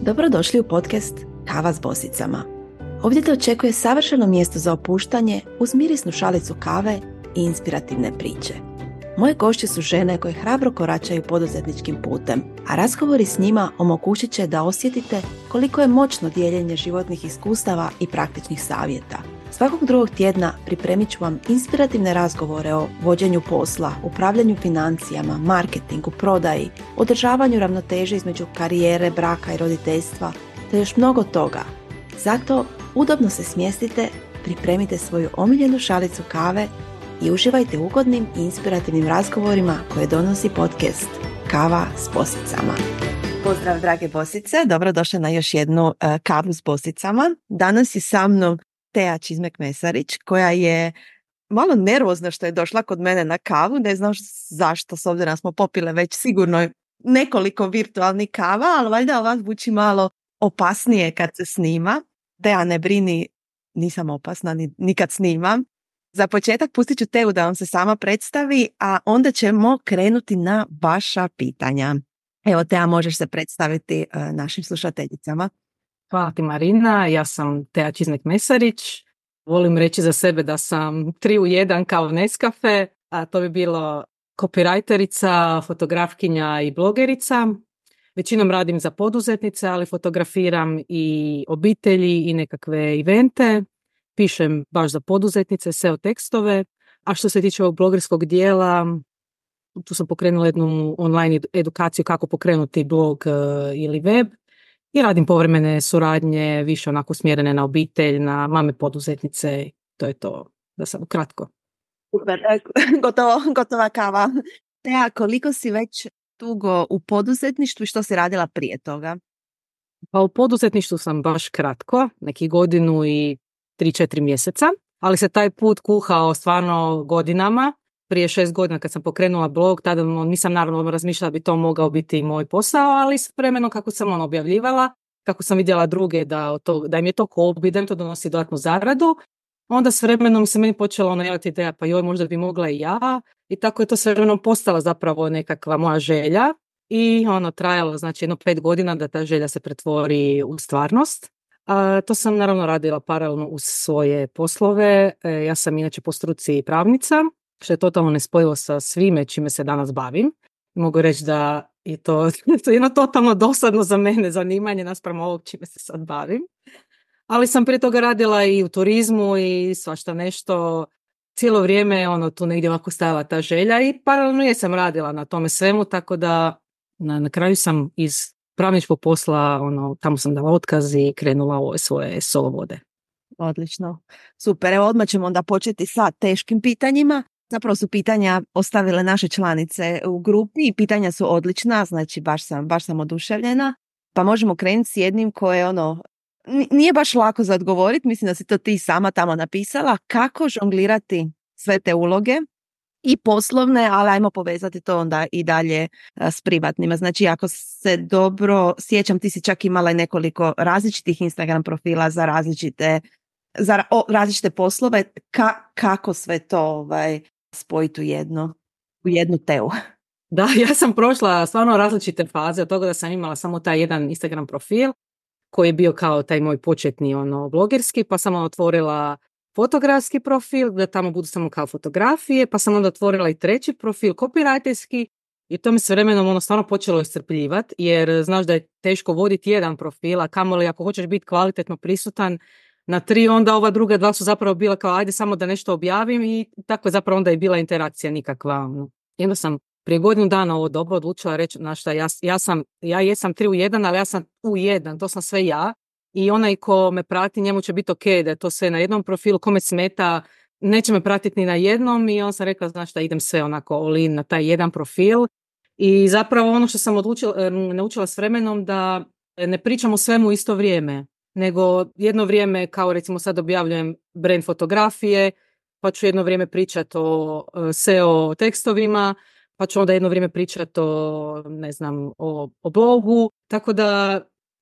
Dobrodošli u podcast Kava s bosicama. Ovdje te očekuje savršeno mjesto za opuštanje uz mirisnu šalicu kave i inspirativne priče. Moje gošće su žene koje hrabro koračaju poduzetničkim putem, a razgovori s njima omogućit će da osjetite koliko je moćno dijeljenje životnih iskustava i praktičnih savjeta. Svakog drugog tjedna pripremit ću vam inspirativne razgovore o vođenju posla, upravljanju financijama, marketingu, prodaji, održavanju ravnoteže između karijere, braka i roditeljstva, te još mnogo toga. Zato udobno se smjestite, pripremite svoju omiljenu šalicu kave i uživajte u ugodnim i inspirativnim razgovorima koje donosi podcast Kava s bosicama. Pozdrav drage bosice, dobrodošle na još jednu kavu s bosicama. Danas je sa mnom Tea Čizmek-Mesarić, koja je malo nervozna što je došla kod mene na kavu. Ne znam zašto, s obzirom da smo popile već sigurno nekoliko virtualnih kava, ali valjda ova zvuči malo opasnije kad se snima. Tea, ne brini, nisam opasna ni kad snimam. Za početak pustit ću Teu da vam se sama predstavi, a onda ćemo krenuti na vaša pitanja. Evo, Tea, možeš se predstaviti našim slušateljicama. Hvala ti, Marina. Ja sam Tea Čizmek-Mesarić. Volim reći za sebe da sam 3 u 1 kao Nescafe, a to bi bilo copywriterica, fotografkinja i blogerica. Većinom radim za poduzetnice, ali fotografiram i obitelji i nekakve evente. Pišem baš za poduzetnice, SEO tekstove. A što se tiče ovog blogerskog dijela, tu sam pokrenula jednu online edukaciju kako pokrenuti blog ili web. I radim povremene suradnje, više onako smjerene na obitelj, na mame poduzetnice. To je to, da sam kratko. Super, gotova kava. Tea, koliko si već dugo u poduzetništvu i što si radila prije toga? Pa u poduzetništvu sam baš kratko, neki godinu i 3-4 mjeseca, ali se taj put kuhao stvarno godinama. Prije 6 godina kad sam pokrenula blog, tada nisam naravno razmišljala da bi to mogao biti i moj posao, ali s vremenom kako sam objavljivala, kako sam vidjela druge da im je to hobi, da im to donosi dodatnu zaradu, onda s vremenom se meni počela javiti ideja, pa joj, možda bi mogla i ja, i tako je to s vremenom postala zapravo nekakva moja želja i trajalo znači 5 godina da ta želja se pretvori u stvarnost. To sam naravno radila paralelno uz svoje poslove. Ja sam inače po struci pravnica, što je totalno nespojivo sa svime čime se danas bavim. Mogu reći da je to jedno totalno dosadno za mene zanimanje naspram ovog čime se sad bavim. Ali sam prije toga radila i u turizmu i svašta nešto. Cijelo vrijeme tu negdje ovako stajala ta želja i paralelno jesam radila na tome svemu, tako da na kraju sam iz pravničkog posla, tamo sam dala otkaz i krenula u ove svoje solo vode. Odlično. Super, evo odmah ćemo onda početi sa teškim pitanjima. Zapravo su pitanja ostavile naše članice u grupi i pitanja su odlična, znači baš sam oduševljena. Pa možemo krenuti s jednim koje nije baš lako za odgovoriti, mislim da si to ti sama tamo napisala. Kako žonglirati sve te uloge i poslovne, ali ajmo povezati to onda i dalje s privatnima. Znači, ako se dobro sjećam, ti si čak imala i nekoliko različitih Instagram profila za različite poslove. Kako sve to spojiti u jednu Teu? Da, ja sam prošla stvarno različite faze od toga da sam imala samo taj jedan Instagram profil koji je bio kao taj moj početni blogerski, pa sam otvorila fotografski profil, da tamo budu samo kao fotografije, pa sam onda otvorila i treći profil, copywriterski, i to mi se vremenom stvarno počelo iscrpljivati, jer znaš da je teško voditi jedan profil, a kamoli ako hoćeš biti kvalitetno prisutan na 3, onda ova druga 2 su zapravo bila kao ajde samo da nešto objavim, i tako je zapravo onda je bila interakcija nikakva. I onda sam prije godinu dana ovo dobro odlučila reći, znaš šta, ja jesam 3 u 1, ali ja sam u 1, to sam sve ja. I onaj ko me prati, njemu će biti ok da je to sve na jednom profilu, kome smeta, neće me pratiti ni na jednom, i on sam rekla, znaš šta, idem sve onako all in na taj jedan profil. I zapravo ono što sam naučila s vremenom, da ne pričam o svemu isto vrijeme, nego jedno vrijeme, kao recimo sad objavljujem brand fotografije, pa ću jedno vrijeme pričati o SEO tekstovima, pa ću onda jedno vrijeme pričati o blogu, tako da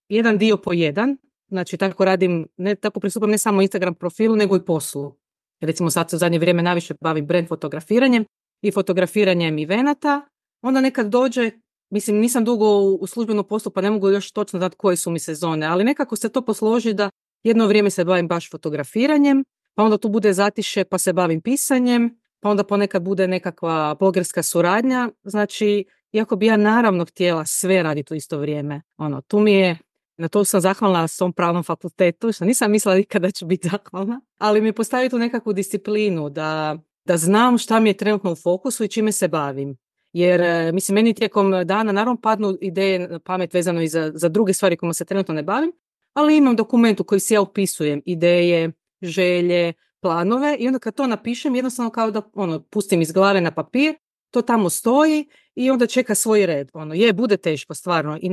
jedan dio po jedan. Znači, tako radim, tako pristupam ne samo Instagram profilu, nego i poslu. Recimo, sad se u zadnje vrijeme najviše bavim brand fotografiranjem i fotografiranjem evenata. Onda nekad dođe mislim, nisam dugo u službenom poslu, pa ne mogu još točno dati koje su mi sezone, ali nekako se to posloži da jedno vrijeme se bavim baš fotografiranjem, pa onda tu bude zatiše pa se bavim pisanjem, pa onda ponekad bude nekakva blogerska suradnja. Znači, iako bi ja naravno htjela sve raditi u isto vrijeme, tu mi je, na to sam zahvalna svom pravnom fakultetu, što nisam mislila nikada da ću biti zahvalna, ali mi postavi tu nekakvu disciplinu da znam šta mi je trenutno u fokusu i čime se bavim. Jer, mislim, meni tijekom dana naravno padnu ideje na pamet vezano i za druge stvari kojima se trenutno ne bavim, ali imam dokument u koji si ja upisujem ideje, želje, planove i onda kad to napišem, jednostavno kao da pustim iz glave na papir, to tamo stoji i onda čeka svoj red. Bude teško stvarno i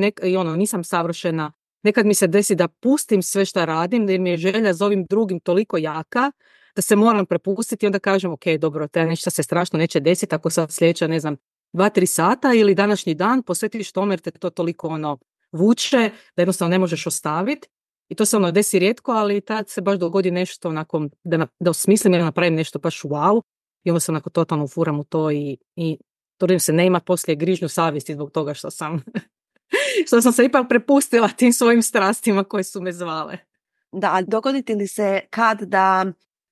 nisam savršena. Nekad mi se desi da pustim sve šta radim, jer mi je želja za ovim drugim toliko jaka da se moram prepustiti i onda kažem, ok, dobro, nešto se strašno neće desiti ako sad sljedeća, 2-3 sata ili današnji dan posvetiš tome jer te to toliko vuče da jednostavno ne možeš ostaviti. I to se desi rijetko, ali tad se baš dogodi nešto onako, da osmislim ili napravim nešto baš wow i onda se onako totalno ufuram u to i trudim se ne ima poslije grižnju savjesti zbog toga što sam se ipak prepustila tim svojim strastima koje su me zvale. Da, dogoditi li se kad da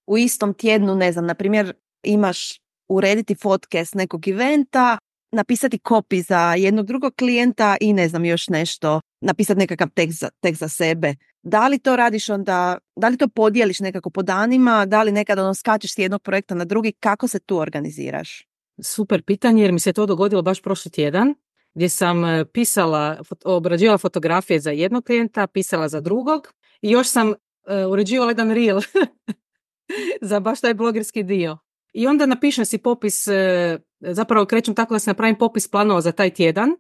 u istom tjednu, na primjer, imaš urediti fotke s nekog eventa, napisati copy za jednog drugog klijenta i još nešto, napisati nekakav tekst za sebe. Da li to radiš onda, da li to podijeliš nekako po danima, da li nekad skačeš s jednog projekta na drugi, kako se tu organiziraš? Super pitanje jer mi se to dogodilo baš prošli tjedan gdje sam obrađivala fotografije za jednog klijenta, pisala za drugog i još sam uređivala jedan reel za baš taj blogerski dio. I onda napišem si popis, zapravo krećem tako da se napravim popis planova za taj tjedan,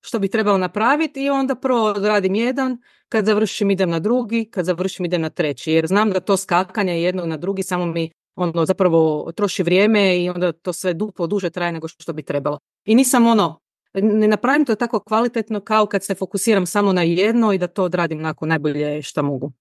što bi trebalo napraviti i onda prvo radim jedan, kad završim idem na drugi, kad završim idem na treći, jer znam da to skakanje jednog na drugi samo mi zapravo troši vrijeme i onda to sve duplo duže traje nego što bi trebalo. I nisam ne napravim to tako kvalitetno kao kad se fokusiram samo na jedno i da to odradim nakon najbolje što mogu.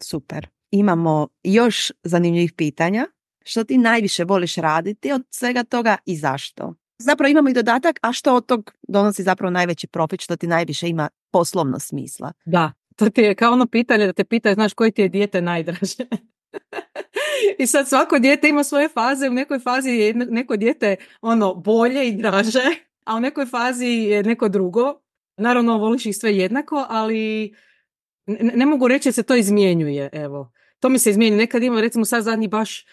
Super. Imamo još zanimljivih pitanja. Što ti najviše voliš raditi od svega toga i zašto? Zapravo imamo i dodatak, a što od tog donosi zapravo najveći profit, što ti najviše ima poslovno smisla? Da, to ti je kao pitanje da te pitaju, znaš, koje ti je dijete najdraže? I sad svako dijete ima svoje faze, u nekoj fazi je neko dijete bolje i draže, a u nekoj fazi je neko drugo. Naravno, voliš ih sve jednako, ali ne mogu reći da se to izmjenjuje, evo. To mi se izmijenju. Nekad imam, recimo sad zadnji baš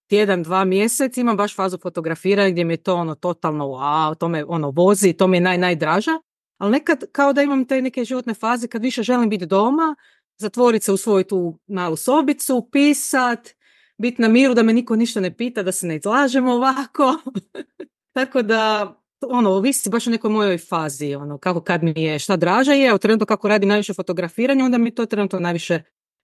tjedan, 2 mjesec, imam baš fazu fotografiranja gdje mi je to totalno wow, to me vozi, to mi je najdraža, ali nekad kao da imam te neke životne faze kad više želim biti doma, zatvoriti se u svoju tu malu sobicu, pisat, biti na miru da me niko ništa ne pita, da se ne izlažemo ovako. Tako da ovisi baš o nekoj mojoj fazi, kako kad mi je šta draža je, u trenutku kako radim najviše fotografiranja, onda mi to trenutno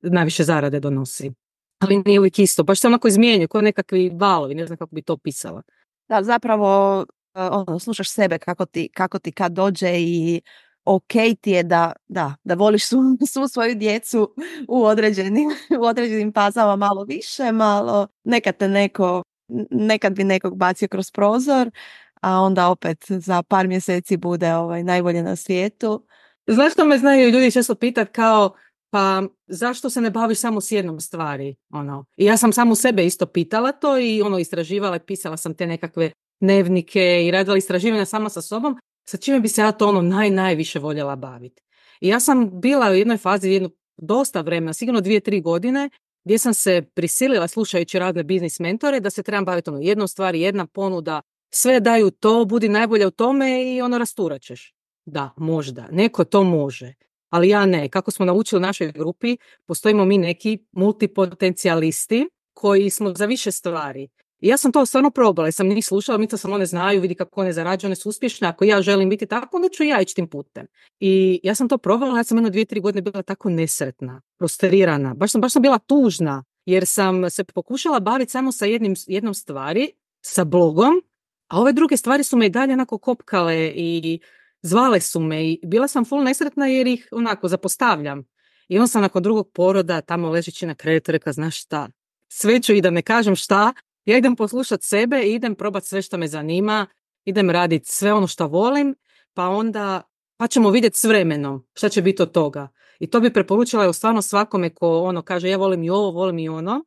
najviše zarade donosi. Ali nije uvijek isto, baš se onako izmijenju, kao nekakvi valovi, ne znam kako bi to pisala. Da, zapravo slušaš sebe kako ti kad dođe i ok ti je da voliš svu svoju djecu u određenim fazama malo više, malo nekad bi nekog bacio kroz prozor, a onda opet za par mjeseci bude najbolje na svijetu. Znaš što me znaju ljudi često pitat kao pa zašto se ne baviš samo s jednom stvari? I ja sam samo sebe isto pitala to i istraživala i pisala sam te nekakve dnevnike i radila istraživanja sama sa sobom, sa čime bi se ja to najviše voljela baviti. I ja sam bila u jednoj fazi dosta vremena, sigurno 2-3 godine, gdje sam se prisilila slušajući razne biznis mentore da se trebam baviti jednom stvari, jedna ponuda, sve daju to, budi najbolja u tome i rasturat ćeš. Da, možda, neko to može. Ali ja ne. Kako smo naučili u našoj grupi, postojimo mi neki multipotencijalisti koji smo za više stvari. I ja sam to stvarno probala, sam njih slušala, mislila sam one znaju, vidi kako one zarađuju, one su uspješne, ako ja želim biti tako, onda ću ja ići tim putem. I ja sam to probala, ja sam 2-3 godine bila tako nesretna, frustrirana, baš sam bila tužna, jer sam se pokušala baviti samo sa jednom stvari, sa blogom, a ove druge stvari su me i dalje onako kopkale i zvale su me i bila sam full nesretna jer ih zapostavljam. I on sam nakon drugog poroda tamo ležeći na krevetu rekla, znaš šta, sve ću i da ne kažem šta, ja idem poslušati sebe i idem probati sve što me zanima, idem raditi sve ono što volim, pa ćemo vidjeti s vremenom šta će biti od toga. I to bi preporučila stvarno svakome ko kaže ja volim i ovo, volim i ono.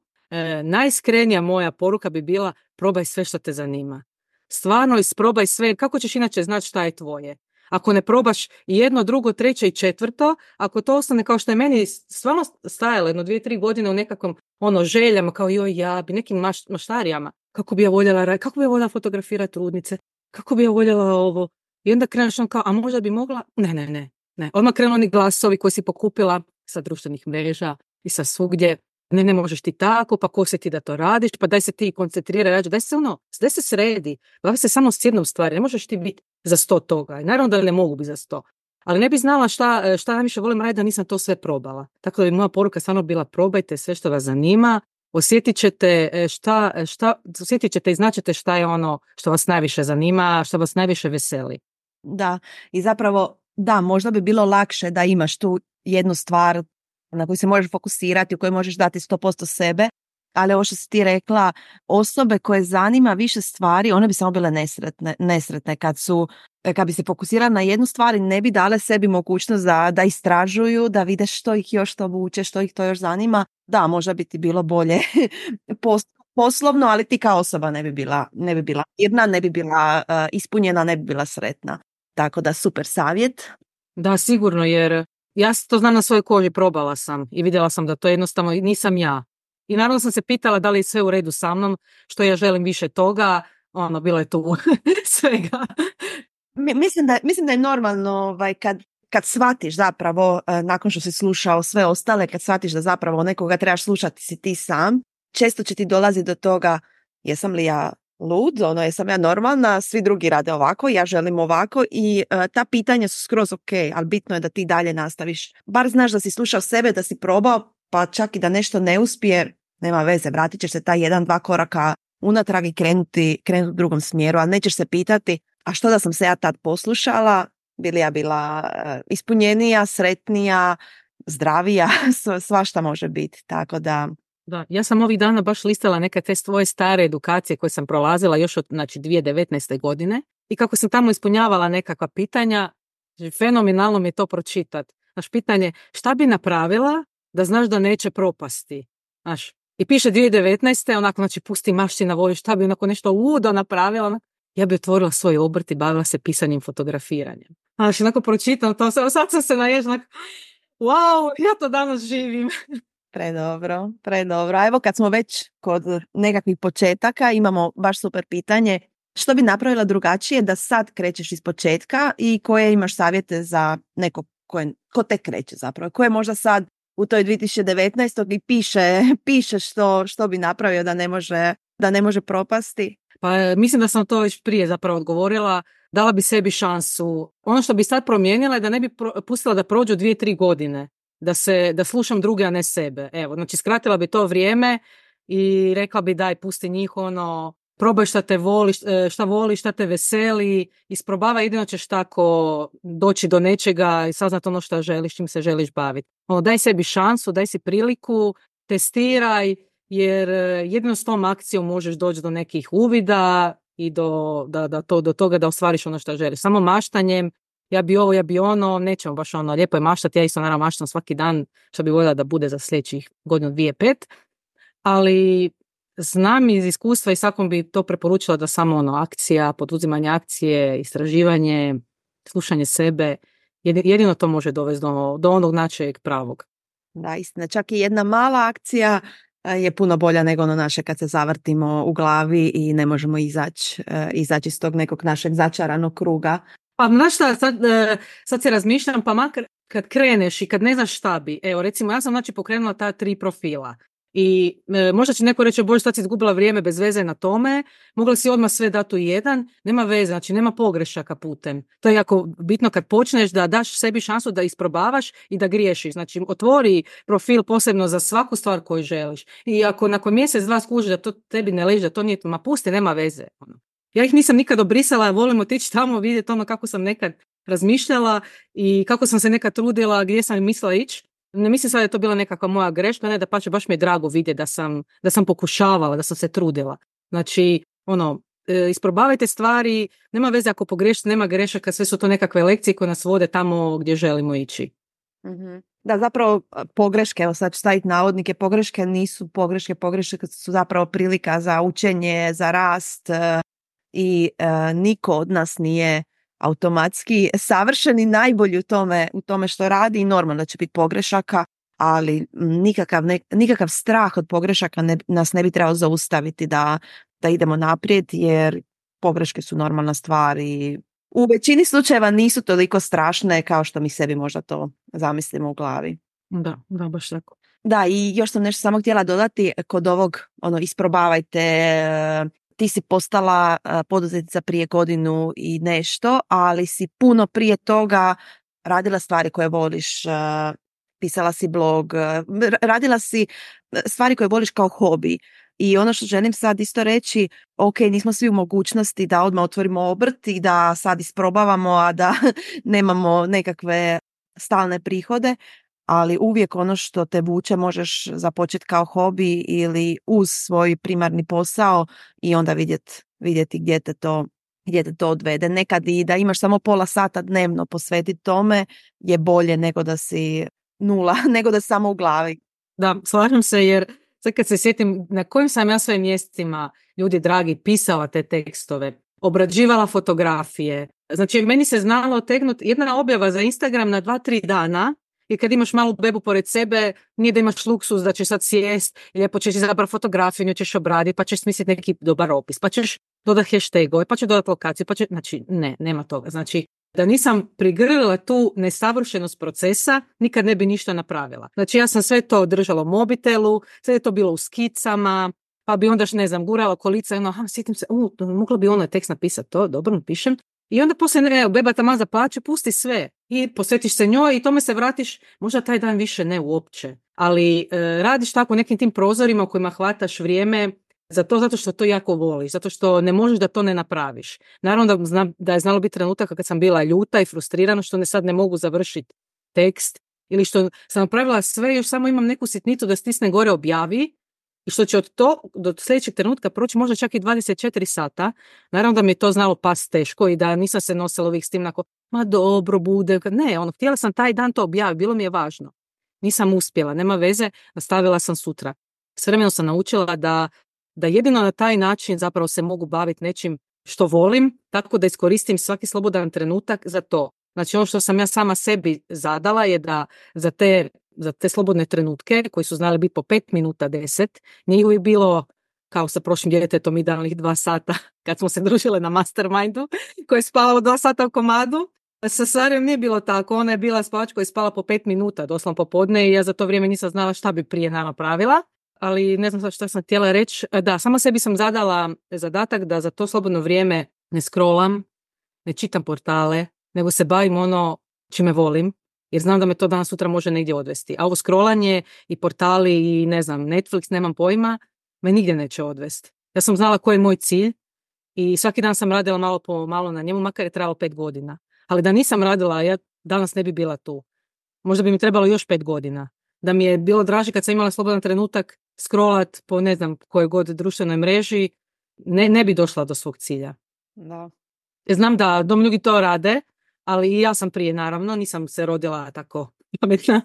Najiskrenija moja poruka bi bila probaj sve što te zanima. Stvarno isprobaj sve. Kako ćeš inače znati šta je tvoje? Ako ne probaš jedno, drugo, treće i četvrto, ako to ostane kao što je meni stvarno stajalo 1-2-3 godine u nekakvom željama, kao joj ja bi nekim maštarijama, kako bi ja voljela fotografirati trudnice, kako bi ja voljela ovo. I onda kreneš kao, a možda bi mogla? Ne. Odmah krenu oni glasovi koji si pokupila sa društvenih mreža i sa svugdje. Ne možeš ti tako, pa ko se ti da to radiš, pa daj se ti koncentriraj, daj se sredi, bavi se samo s jednom stvari, ne možeš ti biti za 100 toga. I naravno da ne mogu biti za 100. Ali ne bi znala šta najviše volim raditi da nisam to sve probala. Tako da bi moja poruka stvarno bila probajte sve što vas zanima, osjetit ćete i značite šta je ono što vas najviše zanima, što vas najviše veseli. Da, i zapravo da, možda bi bilo lakše da imaš tu jednu stvar na koju se možeš fokusirati, u kojoj možeš dati 100% sebe, ali ovo što si ti rekla, osobe koje zanima više stvari, one bi samo bile nesretne kad bi se fokusirali na jednu stvar i ne bi dale sebi mogućnost da istražuju, da vide što ih još to vuče, što ih to još zanima. Da, možda bi ti bilo bolje poslovno, ali ti kao osoba ne bi bila mirna, ne bi bila ispunjena, ne bi bila sretna. Tako da super savjet. Da, sigurno, jer ja to znam na svojoj koži, probala sam i vidjela sam da to jednostavno nisam ja. I naravno sam se pitala da li je sve u redu sa mnom, što ja želim više toga, bilo je tu svega. Mislim da je normalno kad shvatiš zapravo, nakon što si slušao sve ostale, kad shvatiš da zapravo nekoga trebaš slušati si ti sam, često će ti dolazi do toga, jesam li ja lud, jesam ja normalna, svi drugi rade ovako, ja želim ovako i ta pitanja su skroz ok, ali bitno je da ti dalje nastaviš. Bar znaš da si slušao sebe, da si probao, pa čak i da nešto ne uspije, nema veze, vratit ćeš se taj 1-2 koraka unatrag i krenuti u drugom smjeru, ali nećeš se pitati, a što da sam se ja tad poslušala, bi li ja bila ispunjenija, sretnija, zdravija, svašta može biti, tako da... Da, ja sam ovih dana baš listala neke te svoje stare edukacije koje sam prolazila još od 2019. godine i kako sam tamo ispunjavala nekakva pitanja, fenomenalno mi je to pročitati. Znaš, pitanje šta bi napravila da znaš da neće propasti. Znaš, i piše 2019. onako, znači pusti maština, voliš, šta bi onako nešto ludo napravila. Ja bi otvorila svoj obrt i bavila se pisanjem, fotografiranjem. Znaš, onako pročitam to, sad sam se naježila, wow, ja to danas živim. Predobro. A evo kad smo već kod nekakvih početaka, imamo baš super pitanje. Što bi napravila drugačije da sad krećeš iz početka i koje imaš savjete za neko ko tek kreće zapravo? Koje možda sad u toj 2019. i piše što bi napravio da ne može propasti? Pa mislim da sam to već prije zapravo odgovorila. Dala bi sebi šansu. Ono što bi sad promijenila je da ne bi pustila da prođu 2-3 godine. Da slušam druge, a ne sebe. Evo, znači skratila bi to vrijeme i rekla bi daj, pusti njih, probaj šta te voliš, šta te veseli, isprobavaj, jedino ćeš tako doći do nečega i saznat ono što želiš, čim se želiš baviti. Daj sebi šansu, daj si priliku, testiraj, jer jedino s tom akcijom možeš doći do nekih uvida i do toga da ostvariš ono što želiš. Samo maštanjem, ja bi ovo, ja bi ono, nećemo baš lijepo je maštati, ja isto naravno maštam svaki dan, što bi voljela da bude za sljedećih godinu, 2-5, ali znam iz iskustva i svakom bi to preporučila da samo akcija, poduzimanje akcije, istraživanje, slušanje sebe, jedino to može dovesti do onog načeg pravog. Da, istina, čak i jedna mala akcija je puno bolja nego ono naše kad se zavrtimo u glavi i ne možemo izaći iz tog nekog našeg začaranog kruga. Pa znaš šta, sad se razmišljam, pa makar kad kreneš i kad ne znaš šta bi, evo recimo ja sam pokrenula ta 3 profila i možda će neko reći, bože sad si izgubila vrijeme bez veze na tome, mogla si odmah sve dati u jedan, nema veze, znači nema pogrešaka putem. To je jako bitno kad počneš da daš sebi šansu da isprobavaš i da griješiš, znači otvori profil posebno za svaku stvar koju želiš i ako nakon mjesec, 2 skužiš da to tebi ne leži, da to nije, ma pusti, nema veze. Ja ih nisam nikad obrisala, volim otići tamo vidjeti kako sam nekad razmišljala i kako sam se nekad trudila, gdje sam mislila ići. Ne mislim sad da je to bila nekakva moja greška, ne da pače, baš mi je drago vidjeti da sam pokušavala, da sam se trudila. Znači, isprobavajte stvari, nema veze ako pogrešite, nema grešaka, sve su to nekakve lekcije koje nas vode tamo gdje želimo ići. Mm-hmm. Da, zapravo pogreške, evo sad ću staviti navodnike, pogreške nisu pogreške su zapravo prilika za učenje, za rast i niko od nas nije automatski savršen i najbolji u tome što radi i normalno da će biti pogrešaka, ali nikakav strah od pogrešaka nas ne bi trebao zaustaviti da idemo naprijed, jer pogreške su normalna stvar i u većini slučajeva nisu toliko strašne kao što mi sebi možda to zamislimo u glavi. Da, baš tako. Da, i još sam nešto samo htjela dodati kod ovog, isprobavajte, ti si postala poduzetnica prije godinu i nešto, ali si puno prije toga radila stvari koje voliš, pisala si blog, radila si stvari koje voliš kao hobi. I ono što želim sad isto reći, ok, nismo svi u mogućnosti da odmah otvorimo obrt i da sad isprobavamo, a da nemamo nekakve stalne prihode, ali uvijek ono što te vuče možeš započeti kao hobi ili uz svoj primarni posao i onda vidjeti gdje te to odvede. Nekad i da imaš samo pola sata dnevno posvetiti tome je bolje nego da si nula, nego da si samo u glavi. Da, slažem se, jer sad kad se sjetim na kojim sam ja svojim mjesecima, ljudi dragi, pisala te tekstove, obrađivala fotografije. Znači, meni se znalo otegnuti jedna objava za Instagram na 2-3 dana i kad imaš malu bebu pored sebe, nije da imaš luksus da ćeš sad sjest i lijepo ćeš izabrati fotografiju, nju ćeš obraditi, pa ćeš smisliti neki dobar opis, pa ćeš dodati hashtagove, pa ćeš dodati lokaciju, znači, nema toga. Znači, da nisam prigrlila tu nesavršenost procesa, nikad ne bi ništa napravila. Znači, ja sam sve to držala u mobitelu, sve je to bilo u skicama, pa bi onda, gurala kolica i sjetim se, mogla bi ono tekst napisati, to dobro napišem. I onda poslije, beba tamo zaplače, pusti sve i posvetiš se njoj i tome se vratiš, možda taj dan više ne uopće. Ali radiš tako u nekim tim prozorima u kojima hvataš vrijeme zato što to jako voliš, zato što ne možeš da to ne napraviš. Naravno da je znalo biti trenutaka kad sam bila ljuta i frustrirana što sad ne mogu završiti tekst ili što sam napravila sve, još samo imam neku sitnicu da stisne gore objavi i što će do sljedećeg trenutka proći možda čak i 24 sata. Naravno da mi je to znalo pas teško i da nisam se nosila uvijek s tim ma dobro bude. Ne, htjela sam taj dan to objaviti, bilo mi je važno. Nisam uspjela, nema veze, nastavila sam sutra. S vremenom sam naučila da jedino na taj način zapravo se mogu baviti nečim što volim, tako da iskoristim svaki slobodan trenutak za to. Znači ono što sam ja sama sebi zadala je da za te slobodne trenutke, koji su znali biti po 5 minuta 10, nije uvijek bilo kao sa prošlim djetetom idealnih 2 sata, kad smo se družile na mastermindu, koje je spavalo 2 sata u komadu. Sa Sarijom nije bilo tako, ona je bila spavač koja je spala po 5 minuta, doslovno popodne i ja za to vrijeme nisam znala šta bi prije nama pravila. Ali ne znam što sam htjela reći. Da, sama sebi sam zadala zadatak da za to slobodno vrijeme ne scrollam, ne čitam portale, nego se bavim ono čime volim, jer znam da me to danas sutra može negdje odvesti. A ovo scrollanje i portali i Netflix, nemam pojma, me nigdje neće odvesti. Ja sam znala koji je moj cilj i svaki dan sam radila malo po malo na njemu, makar je trajalo 5 godina. Ali da nisam radila, ja danas ne bi bila tu. Možda bi mi trebalo još 5 godina. Da mi je bilo draže kad sam imala slobodan trenutak scrollat po kojoj god društvenoj mreži, ne bi došla do svog cilja. Da. Znam da mnogi to rade, ali i ja sam prije, naravno, nisam se rodila tako pametna,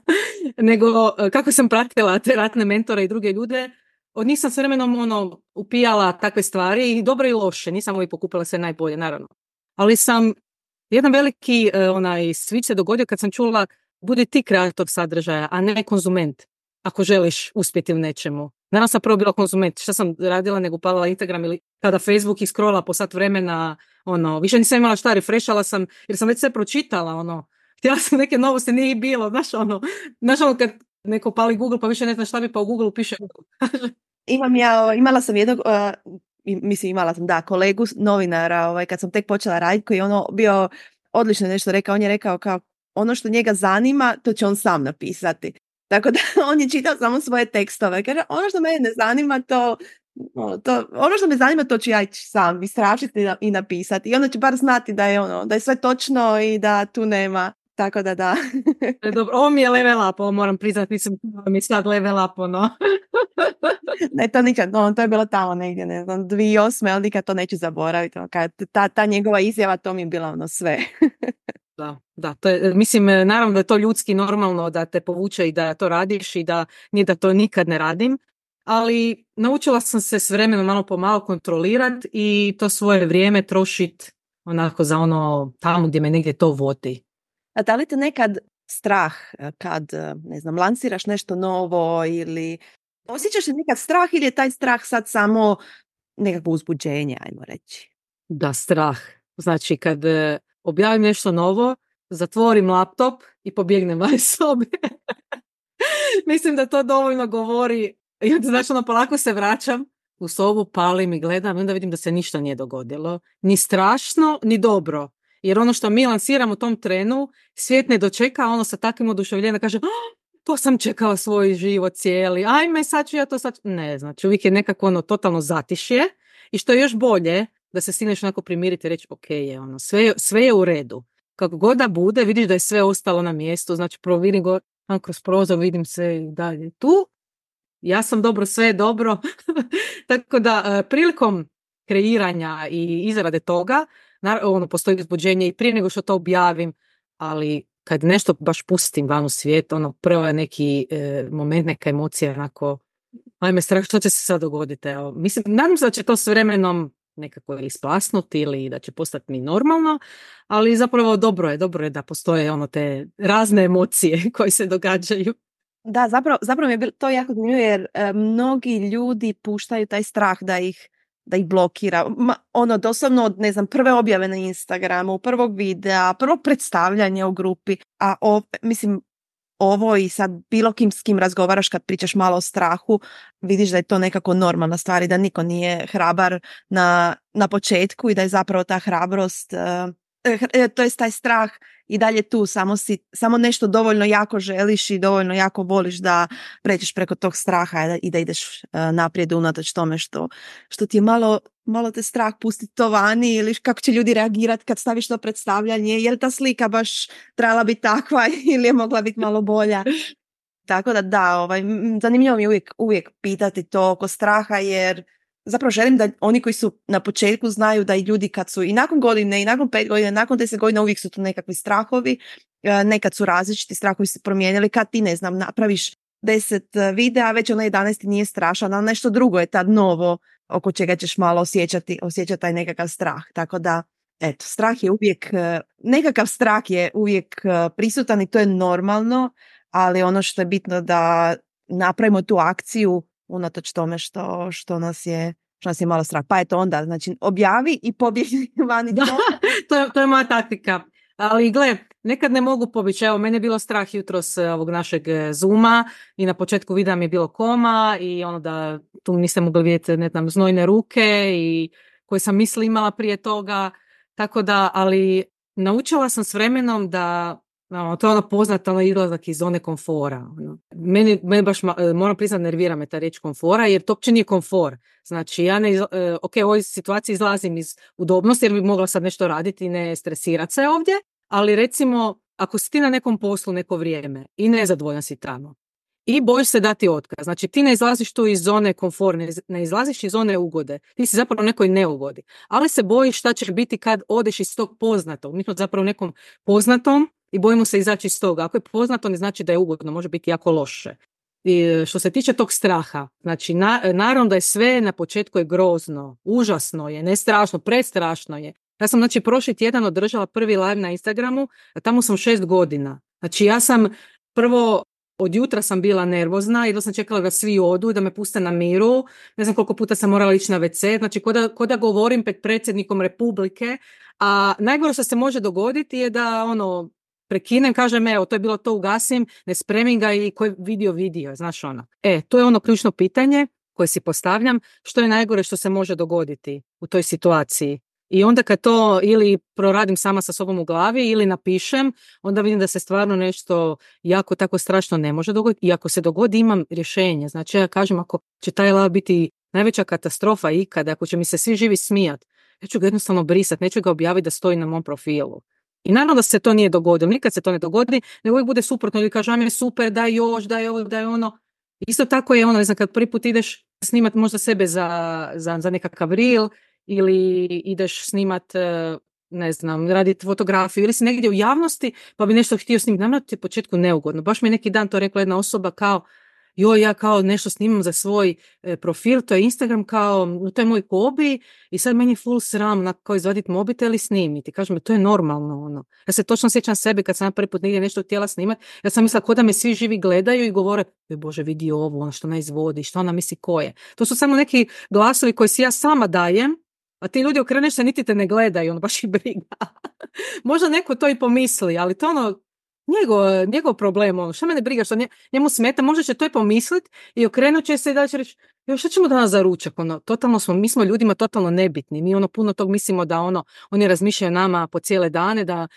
nego kako sam pratila te ratne mentore i druge ljude, od njih sam s vremenom upijala takve stvari, i dobro i loše, nisam uvijek pokupila sve najbolje, naravno. Ali sam, jedan veliki switch se dogodio kad sam čula, budi ti kreator sadržaja, a ne konzument, ako želiš uspjeti u nečemu. Naravno sam prvo bila konzument, šta sam radila nego upalila Instagram ili kada Facebook iskrola po sat vremena, više nisam imala šta, refreshala sam, jer sam već sve pročitala, htjela sam neke novosti, nije ih bilo, znaš kad neko pali Google pa više ne zna šta bi, pa u Google piše imala sam jednog, imala sam kolegu novinara, kad sam tek počela raditi, koji je bio odlično nešto rekao, on je rekao kao ono što njega zanima, to će on sam napisati. Tako da on je čitao samo svoje tekstove. Kaže, ono što mene ne zanima, ono što me zanima, to ću ja ići sam istražiti i napisati. I onda će bar znati da je sve točno i da tu nema tako da. Dobro, ovo mi je level up, ovo moram priznati, nisam mi sad level up, ono. Ne, to nikad, to je bilo tamo negdje, ne znam, 2008. Ali nikad to neću zaboraviti. Ta njegova izjava, to mi je bila ono sve. Da, to je, mislim, naravno da je to ljudski normalno da te povuče i da to radiš i da nije da to nikad ne radim, ali naučila sam se s vremenom malo po malo kontrolirati i to svoje vrijeme trošiti onako za ono tamo gdje me negdje to vodi. A da li te nekad strah kad, ne znam, lansiraš nešto novo ili osjećaš li nekad strah ili je taj strah sad samo nekakvo uzbuđenje, ajmo reći? Da, strah. Znači kad objavim nešto novo, zatvorim laptop i pobjegnem van iz sobe. Mislim da to dovoljno govori. I onda, znači, polako se vraćam u sobu, palim i gledam i onda vidim da se ništa nije dogodilo. Ni strašno, ni dobro. Jer ono što mi lansiramo u tom trenu, svijet ne dočeka ono sa takvim oduševljenjem da kaže to sam čekala svoj život cijeli, ajme sad ću ja to sad. Ne, znači uvijek je nekako ono totalno zatišje i što je još bolje da se stigneš onako primiriti i reći ok, je ono, sve je u redu. Kako god da bude, vidiš da je sve ostalo na mjestu, znači vidim go kroz prozor, vidim sve dalje tu. Ja sam dobro, sve je dobro. Tako da prilikom kreiranja i izrade toga, postoji uzbuđenje i prije nego što to objavim, ali kad nešto baš pustim van u svijet, prvo je neki moment, neka emocija, onako, ajme strah, što će se sad dogoditi? Evo, mislim, nadam se da će to s vremenom nekako ili splasnuti ili da će postati mi normalno, ali zapravo dobro je da postoje te razne emocije koje se događaju. Da, zapravo mi je to jako zanimljivo jer mnogi ljudi puštaju taj strah da ih blokira. Doslovno, ne znam, prve objave na Instagramu, prvog videa, prvog predstavljanja u grupi, a mislim, ovo i sad bilo s kim razgovaraš kad pričaš malo o strahu, vidiš da je to nekako normalna stvar i da niko nije hrabar na početku i da je zapravo ta hrabrost, to je taj strah i dalje tu, samo nešto dovoljno jako želiš i dovoljno jako voliš da pređeš preko tog straha i da ideš naprijed unatoč tome što ti je malo te strah pustiti to vani ili kako će ljudi reagirati kad staviš to predstavljanje, je li ta slika baš trebala biti takva ili je mogla biti malo bolja. Tako da, zanimljivo mi je uvijek pitati to oko straha jer zapravo želim da oni koji su na početku znaju da i ljudi kad su i nakon godine i nakon 5 godina, nakon 10 godina uvijek su tu nekakvi strahovi, nekad su različiti strahovi se promijenili, kad ti ne znam napraviš 10 videa, već 11 nije strašan, ali nešto drugo je tad novo oko čega ćeš malo osjećati taj nekakav strah, tako da eto, strah je uvijek, nekakav strah je uvijek prisutan i to je normalno, ali ono što je bitno da napravimo tu akciju unatoč tome što nas je malo strah. Pa eto onda, znači, objavi i pobjegni vani. To je moja taktika. Ali gle, nekad ne mogu pobjeći. Evo, mene je bilo strah jutros ovog našeg Zooma i na početku videa mi je bilo koma i da tu niste mogli vidjeti, ne znam, znojne ruke i koje sam misli imala prije toga. Tako da, ali naučila sam s vremenom da to je poznata izlazak iz zone komfora. Meni baš, moram priznati, nervira me ta riječ komfora, jer to uopće nije komfor. Znači, ja u ovoj situaciji izlazim iz udobnosti, jer bi mogla sad nešto raditi i ne stresirati se ovdje, ali recimo, ako si ti na nekom poslu neko vrijeme i nezadovoljan si tamo i bojiš se dati otkaz, znači ti ne izlaziš tu iz zone komfora, ne izlaziš iz zone ugode, ti si zapravo u nekoj neugodi, ali se bojiš šta će biti kad odeš iz tog poznatog, mi smo zapravo u nekom poznatom i bojimo se izaći iz toga. Ako je poznato, ne znači da je ugodno, može biti jako loše. I što se tiče tog straha, znači naravno da je sve na početku je grozno, užasno je, ne strašno, prestrašno je. Ja sam znači prošli tjedan održala prvi live na Instagramu, a tamo sam 6 godina. Znači ja sam prvo od jutra sam bila nervozna, jedno sam čekala da svi odu, da me puste na miru, ne znam koliko puta sam morala ići na WC, znači ko da govorim pred predsjednikom Republike, a najgore što se može dogoditi je da prekinem, kažem, evo, to je bilo to, ugasim, ne spremim ga i koji vidio, znaš ono. To je ključno pitanje koje si postavljam, što je najgore što se može dogoditi u toj situaciji. I onda kad to ili proradim sama sa sobom u glavi ili napišem, onda vidim da se stvarno nešto jako tako strašno ne može dogoditi. I ako se dogodi, imam rješenje. Znači, ja kažem, ako će taj live biti najveća katastrofa ikada, ako će mi se svi živi smijat, ja ću ga jednostavno brisati, neću ga objaviti da stoji na mom profilu. I naravno da se to nije dogodilo, nikad se to ne dogodi, nego uvijek bude suprotno, ili kaže, mi je super, daj još, daj ovo, daj ono. Isto tako je ono, ne znam, kad prvi put ideš snimat možda sebe za nekakav reel, ili ideš snimat, ne znam, raditi fotografiju, ili si negdje u javnosti, pa bi nešto htio snimiti. Naravno ti je u početku neugodno. Baš mi je neki dan to rekla jedna osoba kao, ja kao nešto snimam za svoj profil, to je Instagram, kao, to je moj hobi i sad meni je full sram kao izvaditi mobitel i snimiti. Kažem, to je normalno. Ono. Ja se točno sjećam sebe kad sam prvi put negdje nešto htjela snimati, ja sam mislila ko da me svi živi gledaju i govore, Bože, vidi ovo, ono što ona izvodi, što ona misli ko je. To su samo neki glasovi koje si ja sama dajem, a ti ljudi okreneš se, niti te ne gledaju, ono baš ih briga. Možda neko to i pomisli, ali to ono, njegov problem, ono, što mene briga, što njemu smeta, možda će to i pomislit i okrenut će se i da će reći, šta ćemo danas za ručak, ono, totalno mi smo ljudima totalno nebitni, mi ono puno tog mislimo da ono, oni razmišljaju o nama po cijele dane, da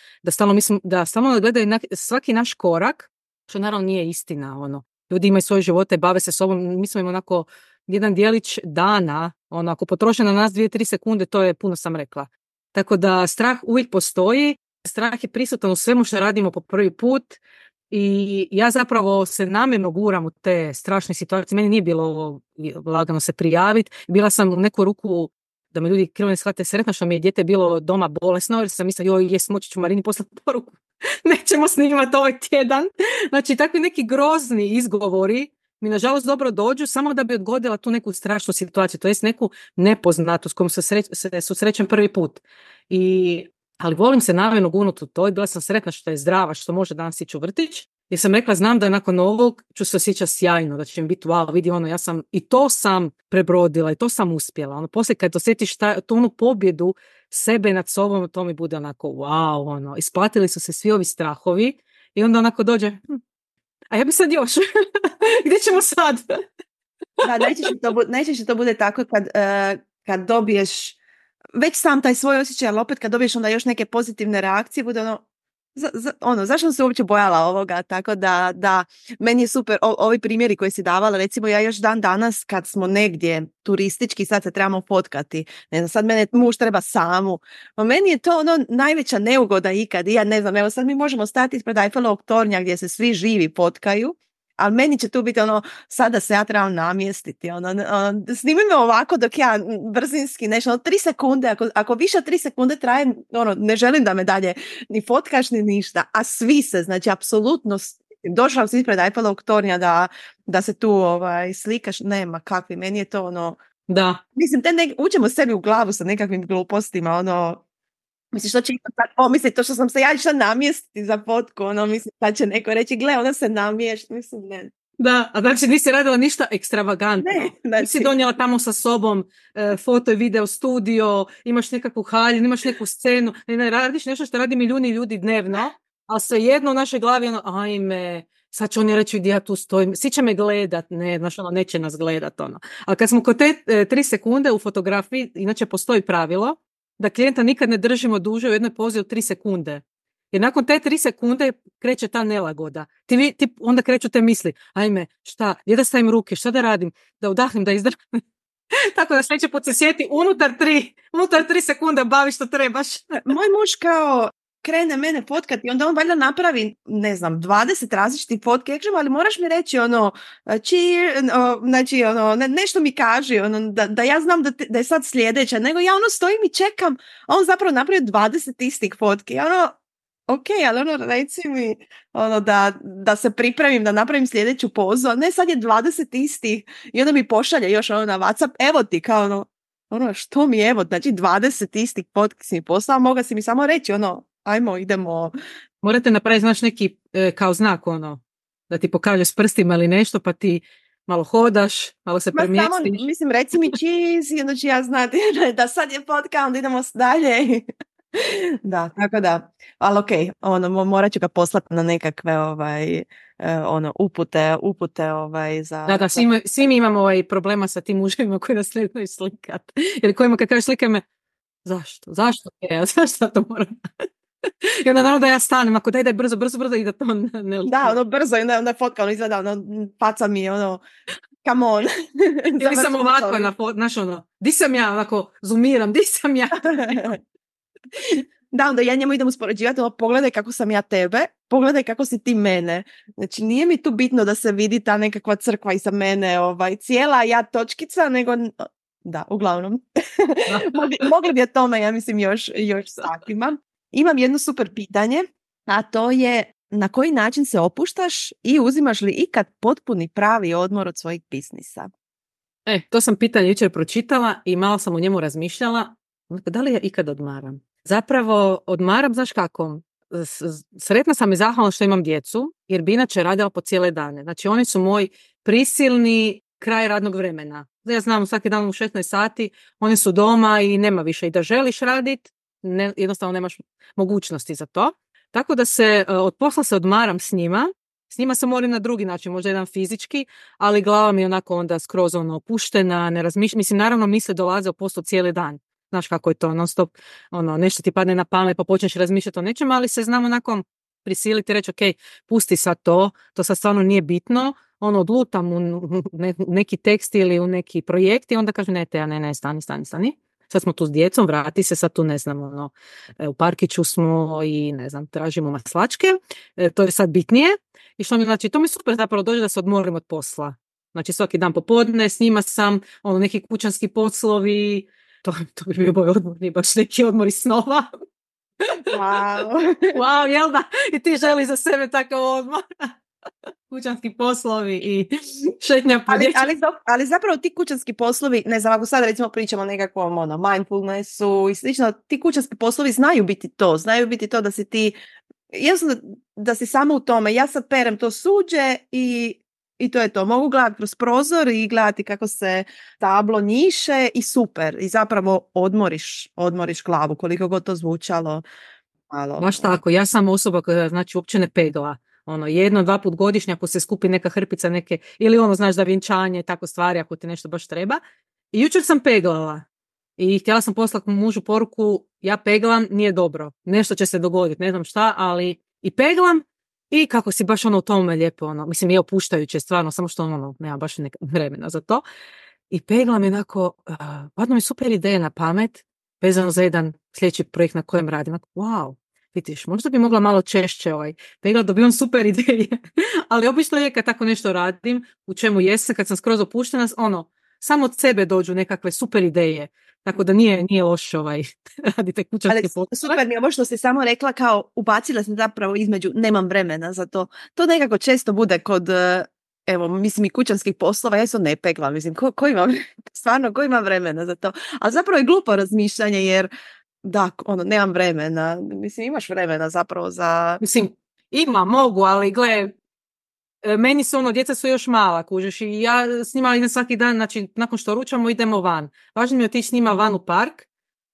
stalno gledaju svaki naš korak, što naravno nije istina, ono, ljudi imaju svoje živote, bave se sobom, mi smo im onako jedan dijelić dana, ono, ako potroše na nas 2-3 sekunde, to je puno sam rekla. Tako da strah uvijek postoji, strah je prisutan u svemu što radimo po prvi put i ja zapravo se namjerno guram u te strašne situacije. Meni nije bilo lagano se prijaviti. Bila sam u neku ruku, da me ljudi krivo ne shvate, sretna što mi je dijete bilo doma bolesno, jer sam mislila, moći ću Marini poslati poruku. Nećemo snimati ovaj tjedan. Znači, takvi neki grozni izgovori mi nažalost dobro dođu samo da bi odgodila tu neku strašnu situaciju, to jest neku nepoznatu s kojom se susrećem prvi put. Ali volim se namjerno gurnuti u to i bila sam sretna što je zdrava, što može danas ići u vrtić. Jer sam rekla, znam da nakon ovog ću se osjećati sjajno, da će mi biti wow, vidi ono, i to sam prebrodila i to sam uspjela. Ono, poslije kad osjetiš tu onu pobjedu sebe nad sobom, to mi bude onako wow, ono, isplatili su se svi ovi strahovi i onda onako dođe, a ja bi sad još, gdje ćemo sad? Da, najčešće to bude tako kad dobiješ već sam taj svoj osjećaj, ali opet kad dobiješ onda još neke pozitivne reakcije, bude zašto sam se uopće bojala ovoga, tako da meni je super ovi primjeri koje si davala, recimo ja još dan danas kad smo negdje turistički, sad se trebamo fotkati, ne znam, sad mene muž treba samu, a meni je to najveća neugoda ikad, i ja ne znam, evo sad mi možemo stati ispred Eiffelovog tornja gdje se svi živi fotkaju, ali meni će tu biti sada se ja trebam namjestiti, snimi me ovako dok ja brzinski nešto, 3 sekunde, ako više od 3 sekunde traje, ne želim da me dalje ni fotkaš ni ništa, a svi se, znači apsolutno, došla si ispred Eiffelovog tornja da se tu slikaš, nema kakvi, meni je to da. Mislim, uđemo sebi u glavu sa nekakvim glupostima, mislim, što će to što sam se ja išla namjestiti za fotku, mislim, sad će neko reći, gle, ona se namješta, mislim, ne. Da, a znači nisi radila ništa ekstravagantno. Ne, znači. Nisi donijela tamo sa sobom foto i video studio, imaš nekakvu haljinu, imaš neku scenu, ne, radiš nešto što radi milijuni ljudi dnevno, ali svejedno u našoj glavi ajme, sad će oni reći gdje ja tu stojim, svi će me gledat, ne, znaš, neće nas gledat, Ali kad smo kod te 3 sekunde u fotografiji, inače postoji pravilo, da klijenta nikad ne držimo duže u jednoj pozi od 3 sekunde. Jer nakon te 3 sekunde kreće ta nelagoda. Ti onda kreću te misli, ajme, šta, gdje da stavim ruke, šta da radim, da udahnem, da izdrhnem. Tako da sljedeći put se sjeti, unutar 3 sekunde bavi što trebaš. Moj muž kao krene mene fotkati i onda on valjda napravi, ne znam, 20 različitih fotke. Ja kažem, ali moraš mi reći znači nešto mi kaži, da ja znam da je sad sljedeća, nego ja stojim i čekam, a on zapravo napravi 20 istih fotki. Ok, ali reci mi da se pripremim, da napravim sljedeću pozu, a ne sad je 20 istih i onda mi pošalje još na WhatsApp, evo ti, kao što mi evo, znači 20 istih fotki si mi poslao, moga si mi samo reći, ajmo, idemo. Morate napraviti, znaš, neki kao znak, da ti pokaže s prstima ili nešto, pa ti malo hodaš, malo se premjestiš. Mislim, reci mi cheese, onda ću ja znati da sad je fotka, onda idemo dalje. Da, tako da, ali okej, morat ću ga poslati na nekakve upute za... Da, svi mi imamo problema sa tim muževima koji nas ne znaju slikat. Ili kojima kad kažeš slikaj me, zašto to moram? I onda naravno da ja stanem, ako daj brzo i da to ne liči. Da, brzo, i onda fotka, izgleda, faca mi je, come on. Ili sam ovako, znaš, di sam ja, onako, zoomiram, di sam ja? Da, onda ja njemu idem uspoređivati, pogledaj kako sam ja tebe, pogledaj kako si ti mene. Znači, nije mi tu bitno da se vidi ta nekakva crkva iza mene, cijela ja točkica, nego... Da, uglavnom. Mogli bi o tome, ja mislim, još satima. Imam jedno super pitanje, a to je na koji način se opuštaš i uzimaš li ikad potpuni pravi odmor od svojih biznisa? To sam pitanje jučer pročitala i malo sam u njemu razmišljala. Da li ja ikad odmaram? Zapravo odmaram, znaš kako? Sretna sam i zahvalna što imam djecu, jer bi inače radila po cijele dane. Znači, oni su moj prisilni kraj radnog vremena. Ja znam, svaki dan u 16 sati oni su doma i nema više. I da želiš raditi, jednostavno nemaš mogućnosti za to. Tako da od posla se odmaram s njima. S njima se moram na drugi način, možda jedan fizički, ali glava mi je onako onda skroz opuštena, ne razmišljam. Mislim, naravno misle dolaze u poslu cijeli dan. Znaš kako je to, non stop, nešto ti padne na pamet pa počneš razmišljati o nečem, ali se znam onako prisiliti reći, ok, pusti sad to sad stvarno nije bitno, odlutam u neki tekst ili u neki projekt i onda kažem, ne, stani. Sad smo tu s djecom, vrati se, sad tu ne znam, u parkiću smo i ne znam, tražimo maslačke, to je sad bitnije. I što mi znači, to mi super zapravo dođe da se odmorim od posla. Znači svaki dan popodne, s njima sam, neki kućanski poslovi, to bi bio moj odmor, nije baš neki odmor iz snova. Wow, jel da? I ti želi za sebe takav odmor. Kućanski poslovi i šetnja po dječju. Ali zapravo ti kućanski poslovi, ne znam, ako sad recimo pričamo o nekakvom mindfulnessu i slično, ti kućanski poslovi znaju biti to da si ti, jednostavno da si samo u tome, ja sad perem to suđe i to je to. Mogu gledati kroz prozor i gledati kako se tablo njiše i super. I zapravo odmoriš glavu, koliko god to zvučalo. Malo. Baš tako, ja sam osoba koja znači uopće ne pegla. 1-2 put godišnje ako se skupi neka hrpica neke, ili znaš da vjenčanje, tako stvari ako ti nešto baš treba. I jučer sam peglala i htjela sam poslati mužu poruku, ja peglam, nije dobro, nešto će se dogoditi, ne znam šta, ali i peglam i kako si baš u tome lijepo, mislim je opuštajuće stvarno, samo što nema baš vremena za to. I peglam je onako, padno mi super ideja na pamet, vezano za jedan sljedeći projekt na kojem radim. Wow, vidiš, možda bi mogla malo češće pegla, dobivam super ideje. Ali obično je kad tako nešto radim, u čemu jesam, kad sam skroz opuštena, samo od sebe dođu nekakve super ideje. Tako da nije loše radite kućanske poslove. Super mi je ovo što si samo rekla, kao ubacila sam zapravo između nemam vremena za to. To nekako često bude kod, mislim i kućanskih poslova, ja se ne peglam, mislim, ko ima vremena za to. Ali zapravo je glupo razmišljanje jer da, nemam vremena. Mislim, imaš vremena zapravo za... Mislim, mogu, ali gle, meni su djeca su još mala, kužiš, i ja s njima idem svaki dan, znači nakon što ručamo idemo van. Važno mi je otići s njima van u park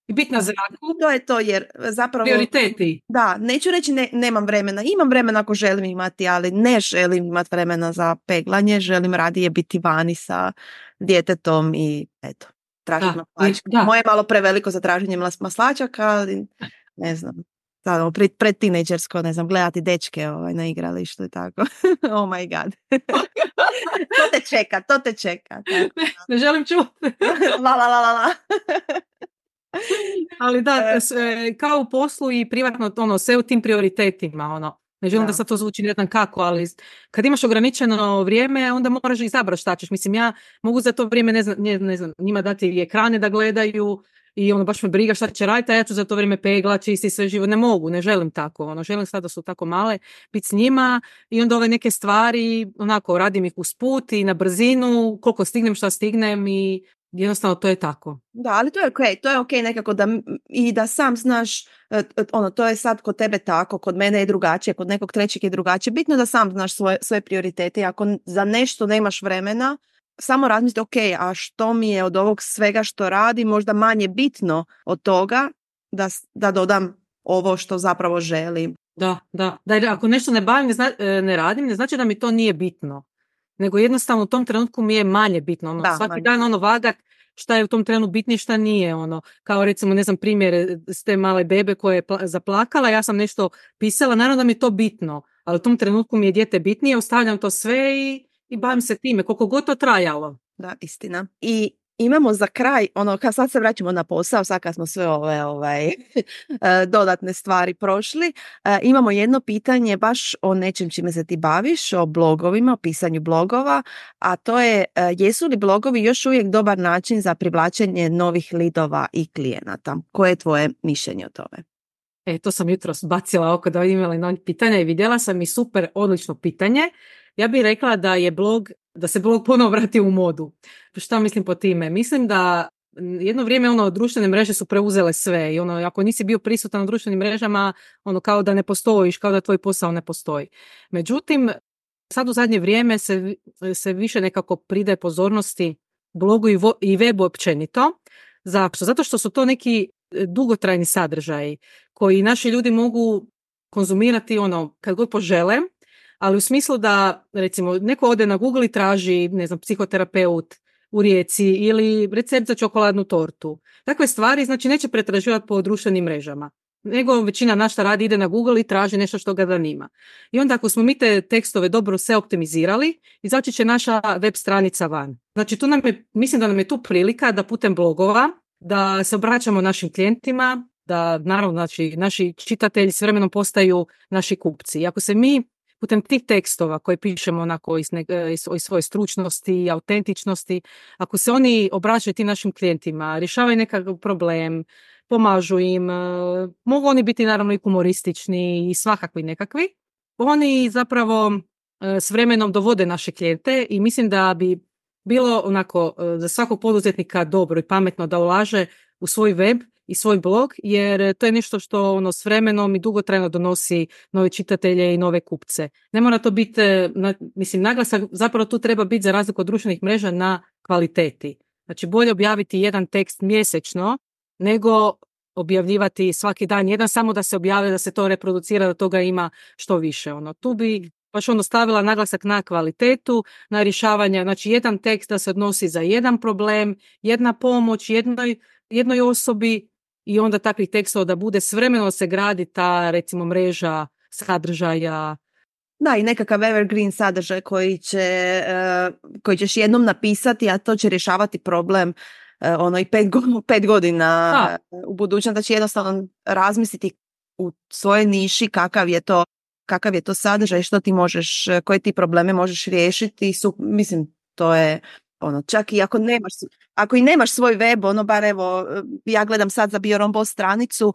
i biti na zraku. To je to, jer zapravo... Prioriteti. Da, neću reći nemam vremena. Imam vremena ako želim imati, ali ne želim imati vremena za peglanje, želim radije biti vani sa djetetom i eto. Tražiti maslačaka. Moje je malo preveliko za traženje maslačaka, ali ne znam. Sad, pred tinejdžersko, ne znam, gledati dečke na igralištu i tako. Oh my god. To te čeka. Ne želim čuti. La. Ali da, kao u poslu i privatno, sve u tim prioritetima, Ne želim da sad to zvuči ne znam kako, ali kad imaš ograničeno vrijeme, onda moraš izabrati šta ćeš. Mislim, ja mogu za to vrijeme, ne znam, njima dati ekrane da gledaju i baš me briga šta će raditi, a ja ću za to vrijeme pegla, čisti sve živo. Ne mogu, ne želim tako. Želim sad da su tako male, biti s njima i onda ove neke stvari, radim ih usput i na brzinu, koliko stignem, šta stignem i jednostavno to je tako. Da, ali to je okej nekako da sam znaš, to je sad kod tebe tako, kod mene je drugačije, kod nekog trećeg je drugačije. Bitno je da sam znaš svoje prioritete. Ako za nešto nemaš vremena, samo razmislite, a što mi je od ovog svega što radi možda manje bitno od toga da dodam ovo što zapravo želim. Da, ako nešto ne radim, ne znači da mi to nije bitno. Nego jednostavno u tom trenutku mi je manje bitno. Svaki dan vagat šta je u tom trenu bitnije, šta nije. Kao recimo, ne znam, primjer s te male bebe koja je zaplakala, ja sam nešto pisala, naravno da mi je to bitno, ali u tom trenutku mi je dijete bitnije, ostavljam to sve i bavim se time, koliko god to trajalo. Da, istina. I imamo za kraj, sad se vraćamo na posao, sad kad smo sve ove dodatne stvari prošli, imamo jedno pitanje baš o nečem čime se ti baviš, o blogovima, o pisanju blogova, a to je jesu li blogovi još uvijek dobar način za privlačenje novih lidova i klijenata? Koje je tvoje mišljenje o tome? To sam jutros bacila oko da imala novi pitanja i vidjela sam i super, odlično pitanje. Ja bih rekla da se blog ponovo vrati u modu. Šta mislim po time? Mislim da jedno vrijeme društvene mreže su preuzele sve i ako nisi bio prisutan na društvenim mrežama, kao da ne postojiš, kao da tvoj posao ne postoji. Međutim, sad u zadnje vrijeme se više nekako pridaje pozornosti blogu i webu općenito. Zašto? Zato što su to neki dugotrajni sadržaji koji naši ljudi mogu konzumirati kad god požele, ali u smislu da, recimo, neko ode na Google i traži, ne znam, psihoterapeut u Rijeci ili recept za čokoladnu tortu. Takve stvari, znači, neće pretraživati po društvenim mrežama. Nego većina našta radi, ide na Google i traži nešto što ga zanima. I onda ako smo mi te tekstove dobro sve optimizirali, izaći će naša web stranica van. Znači, mislim da nam je tu prilika da putem blogova, da se obraćamo našim klijentima, da naravno znači, naši čitatelji s vremenom postaju naši kupci. I ako se mi putem tih tekstova koje pišemo onako iz svoje stručnosti i autentičnosti, ako se oni obraćaju tim našim klijentima, rješavaju nekakav problem, pomažu im, mogu oni biti naravno i humoristični i svakakvi nekakvi, oni zapravo s vremenom dovode naše klijente i mislim da bi bilo onako za svakog poduzetnika dobro i pametno da ulaže u svoj web i svoj blog, jer to je nešto što s vremenom i dugotrajno donosi nove čitatelje i nove kupce. Ne mora to biti, naglasak zapravo tu treba biti za razliku od društvenih mreža na kvaliteti. Znači bolje objaviti jedan tekst mjesečno nego objavljivati svaki dan jedan, samo da se objave, da se to reproducira, da toga ima što više. Tu bi baš stavila naglasak na kvalitetu, na rješavanje, znači jedan tekst da se odnosi za jedan problem, jedna pomoć jednoj osobi i onda takvih tekstova da bude s vremenom se gradi ta, recimo, mreža sadržaja. Da, i nekakav evergreen sadržaj koji ćeš jednom napisati, a to će rješavati problem i 5 godina u budućnosti. Znači jednostavno razmisliti u svojoj niši kakav je to sadržaj, što ti možeš, koje ti probleme možeš riješiti. Mislim, to je čak i ako nemaš svoj web, bar evo, ja gledam sad za Biorombo stranicu,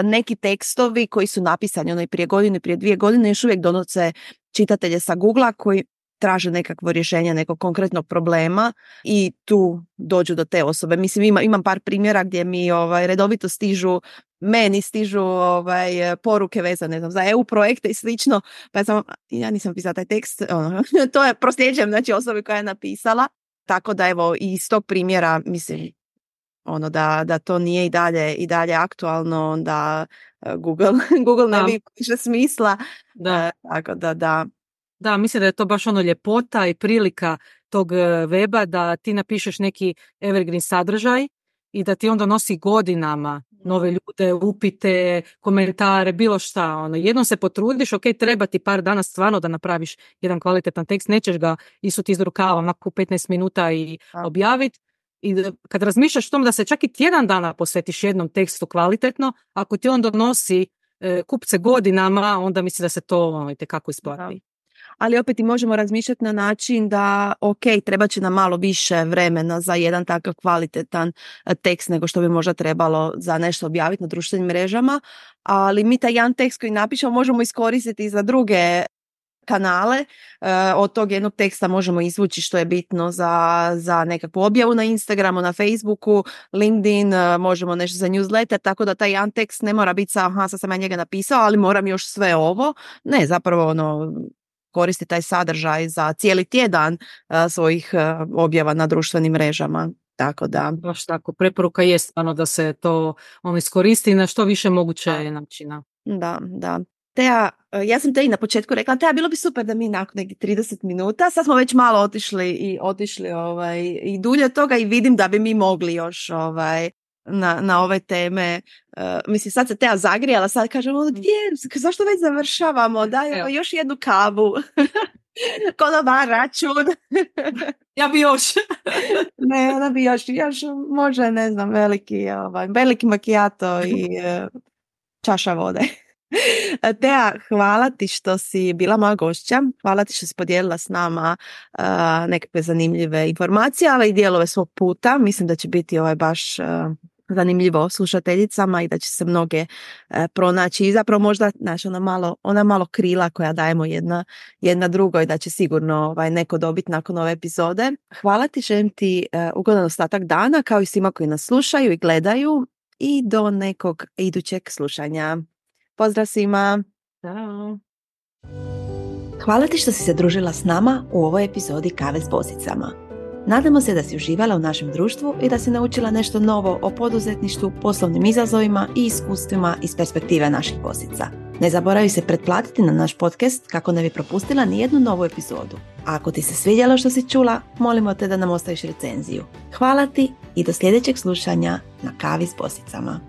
neki tekstovi koji su napisani prije godine, prije 2 godine, još uvijek donose čitatelje sa Googlea koji traže nekakvo rješenje nekog konkretnog problema i tu dođu do te osobe. Mislim, imam par primjera gdje mi redovito stižu poruke vezane za EU projekte i slično, pa ja nisam pisala taj tekst, to je prosljeđujem, znači, osobi koja je napisala, tako da evo iz tog primjera mislim da to nije i dalje aktualno, da Google ne bi više smisla, tako da. Da, mislim da je to baš ljepota i prilika tog weba da ti napišeš neki evergreen sadržaj i da ti on donosi godinama nove ljude, upite, komentare, bilo šta. Jednom se potrudiš, treba ti par dana stvarno da napraviš jedan kvalitetan tekst, nećeš ga isuti iz rukava onako 15 minuta i objaviti. I kad razmišljaš o tom da se čak i tjedan dana posvetiš jednom tekstu kvalitetno, ako ti on donosi kupce godinama, onda mislim da se to itekako isplati. Ali opet i možemo razmišljati na način da treba će nam malo više vremena za jedan takav kvalitetan tekst nego što bi možda trebalo za nešto objaviti na društvenim mrežama, ali mi taj jedan tekst koji napišemo možemo iskoristiti za druge kanale. Od tog jednog teksta možemo izvući što je bitno za nekakvu objavu na Instagramu, na Facebooku, LinkedIn, možemo nešto za newsletter, tako da taj jedan tekst ne mora biti sad sam ja njega napisao, ali moram još sve ovo. Ne, zapravo koristi taj sadržaj za cijeli tjedan svojih objava na društvenim mrežama. Tako da. Baš tako, preporuka je stvarno da se to iskoristi na što više moguće načina. Da. Teja, ja sam te i na početku rekla, Teja, bilo bi super da mi nakon nekih 30 minuta, sad smo već malo otišli i dulje toga i vidim da bi mi mogli još na ove teme. Mislim, sad se Teja zagrijala, sad kažemo, gdje, zašto već završavamo, daj još jednu kavu, konobar, račun. Ja bi još. Ne, ona bi još može, ne znam, veliki macchiato i čaša vode. Tea, hvala ti što si bila moja gošća, hvala ti što si podijelila s nama nekakve zanimljive informacije, ali i dijelove svog puta. Mislim da će biti baš zanimljivo slušateljicama i da će se mnoge pronaći i zapravo možda ona malo krila koja dajemo jedna drugoj, da će sigurno neko dobiti nakon ove epizode. Hvala ti, želim ti ugodan ostatak dana, kao i svima koji nas slušaju i gledaju, i do nekog idućeg slušanja. Pozdrav svima! Ćao! Hvala ti što si se družila s nama u ovoj epizodi Kave s bosicama. Nadamo se da si uživala u našem društvu i da si naučila nešto novo o poduzetništvu, poslovnim izazovima i iskustvima iz perspektive naših bosica. Ne zaboravi se pretplatiti na naš podcast kako ne bi propustila nijednu novu epizodu. A ako ti se svidjelo što si čula, molimo te da nam ostaviš recenziju. Hvala ti i do sljedećeg slušanja na Kavi s bosicama.